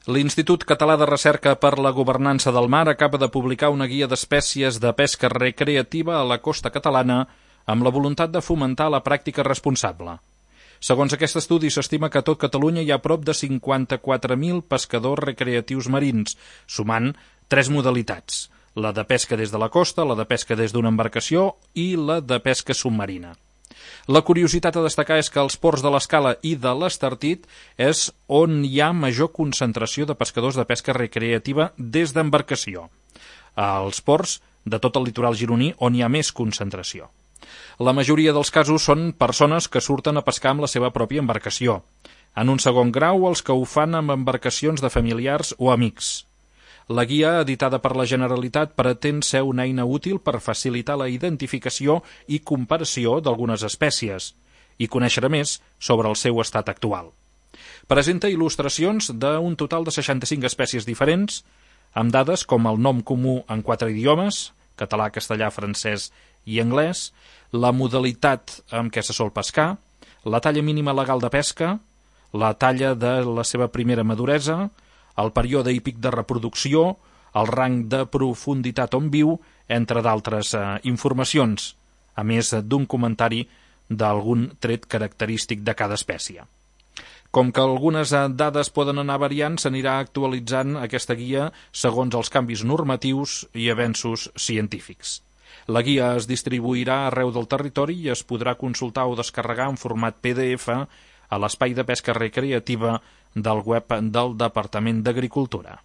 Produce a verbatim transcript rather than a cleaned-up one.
L'Institut Català de Recerca per la Governança del Mar acaba de publicar una guia d'espècies de pesca recreativa a la costa catalana amb la voluntat de fomentar la pràctica responsable. Segons aquest estudi, s'estima que a tot Catalunya hi ha prop de cinquanta-quatre mil pescadors recreatius marins, sumant tres modalitats: la de pesca des de la costa, la de pesca des d'una embarcació i la de pesca submarina. La curiositat a destacar és que als ports de l'Escala i de l'Estartit és on hi ha major concentració de pescadors de pesca recreativa des d'embarcació. Als ports de tot el litoral gironí on hi ha més concentració. La majoria dels casos són persones que surten a pescar amb la seva pròpia embarcació. En un segon grau, els que ho fan amb embarcacions de familiars o amics. La guia, editada per la Generalitat, pretén ser una eina útil per facilitar la identificació i comparació d'algunes espècies i conèixer més sobre el seu estat actual. Presenta il·lustracions d'un total de seixanta-cinc espècies diferents, amb dades com el nom comú en quatre idiomes, català, castellà, francès i anglès, la modalitat amb què se sol pescar, la talla mínima legal de pesca, la talla de la seva primera maduresa, el període i pic de reproducció, el rang de profunditat on viu, entre d'altres eh, informacions, a més d'un comentari d'algun tret característic de cada espècie. Com que algunes dades poden anar variant, s'anirà actualitzant aquesta guia segons els canvis normatius i avenços científics. La guia es distribuirà arreu del territori i es podrà consultar o descarregar en format P D F a l'espai de pesca recreativa del web del Departament d'Agricultura.